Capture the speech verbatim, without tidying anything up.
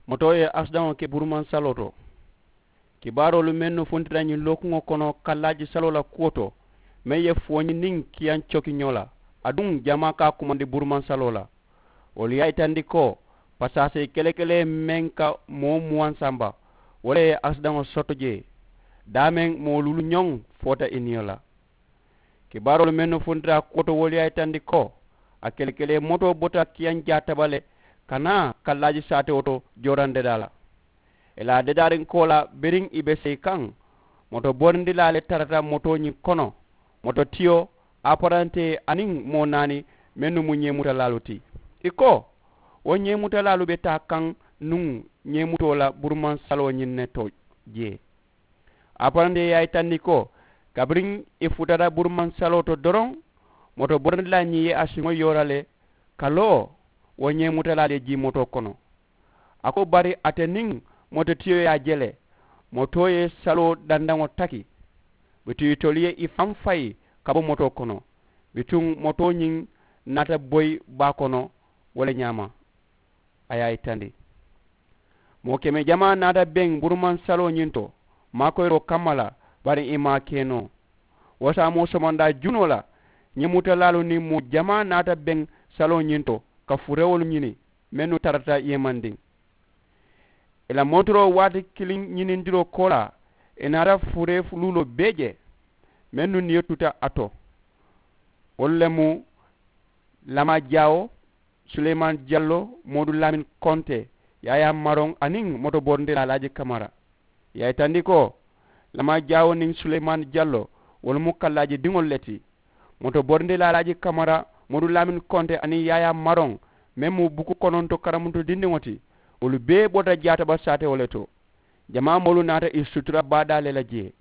Motoo ye asidaŋo ke burumansaloo to. Kibaaroolu mennu funtita ñiŋ lookuŋo kono kallaaji saloo la kuwo to, meŋ ye fooñi niŋ kiyaŋ coki ñoo la, aduŋ jamaa ka a kumandi burumansaloo la. Wolu ye a yitandi ko pasaasee kelekelee meŋ ka moo muwaŋ samba, wo le ye asidaŋo soto jee. Daameŋ moo luulu ñoŋ foota i niyo la. Kibaaroolu mennu funtita a kuwo to wolu ye a yitandi ko a kelekelee motoo bota kiyaŋ jaataba le ka naa kallaaji saatewo to jooraŋ dedaa la. Ì la a dedaariŋ koolaa biriŋ ì be seyi kaŋ, moto borindilaa le tarata motoo ñiŋ kono, moto tiyo, aparantee aniŋ moo naani mennu mu ñeemutalaalu ti. Ì ko, wo ñeemutalaalu be taa kaŋ nuŋ ñeemutoo la burumansaloo ñiŋ ne to jee. Aparantee ye a yitandi ko kabiriŋ ì futata burumansaloo to doroŋ, moto borindilaa ñiŋ ye a siŋo yoora le ka loo, wo ñeemutalaalu ye jii motoo kono. A ko bari ate niŋ mototiyo ye a je le, motoo ye saloo dandaŋo taki. Bituŋ itolu ye i faŋ fayi ka bo motoo kono. Bituŋ motoo ñiŋ naata boyi baa kono. Wo le ñaama a ye a yitandi. Moo keme jamaa naata beŋ burumansaloo ñiŋ to maakoyiroo kamma la, bari ì maŋ a ke noo. Wo saamoo somondaa junoo la, ñeemutalaalu niŋ moo jamaa naata beŋ saloo ñiŋ to ka furewolu ñini mennu tarata yeemandiŋ. Ì la montoroo waati kiliŋ ñinindiroo koolaa, ì naata furee luuloo bee je mennu niyo tuta a to. Wolu le mu lamaa jaawo, suleymaani jalloo, moodu laamin konte, yaayaa maroŋ aniŋ moto borindilaa alaaji kamara. Ì ye a yitandi ko lamaa jaawo niŋ suleymaani jalloo, wolu mu kallaaji diŋolu le ti. Moto borindilaa alaaji kamara, moodu laamin konte aniŋ yaayaa maroŋ, meŋ mu buku kononto karamuto dindiŋo ti, wolu bee bota jaataba saatewo le to. Jamaa moolu naata ì sutura baadaa le la jee.